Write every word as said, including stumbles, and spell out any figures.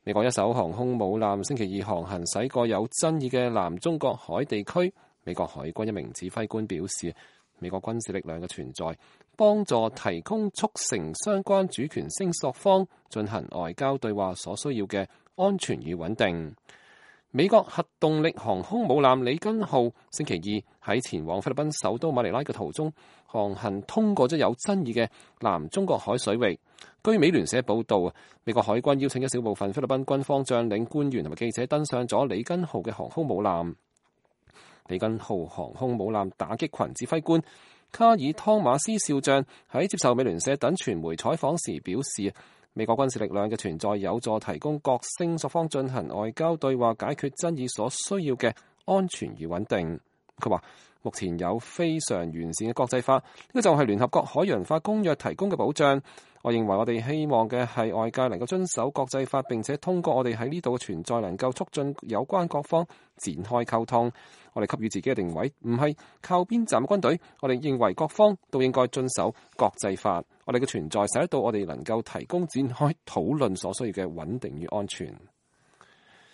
美國一艘航空母艦星期二航行駛過有爭議嘅南中國海地區。美國海軍一名指揮官表示，美國軍事力量嘅存在幫助提供促成相關主權聲索方進行外交對話所需要嘅安全與穩定。美國核動力航空母艦里根號星期二喺前往菲律賓首都馬尼拉嘅途中航行通過咗有爭議嘅南中國海水域。據美聯社報道，美國海軍邀請一小部分菲律賓軍方將領、官員同埋記者登上咗里根號嘅航空母艦。里根號航空母艦打擊群指揮官卡爾湯馬斯少將喺接受美聯社等傳媒採訪時表示，美國軍事力量嘅存在有助提供各聲索方進行外交對話，解決爭議所需要嘅安全與穩定。佢話目前有非常完善嘅國際法，呢個就係聯合國海洋法公約提供嘅保障。我認為我哋希望嘅係外界能夠遵守國際法，並且通過我哋喺呢度嘅存在能夠促進有關各方展開溝通。我哋給予自己嘅定位唔係靠邊站嘅軍隊，我哋認為各方都應該遵守國際法。我哋嘅存在使得到我哋能夠提供展開討論所需要嘅穩定與安全。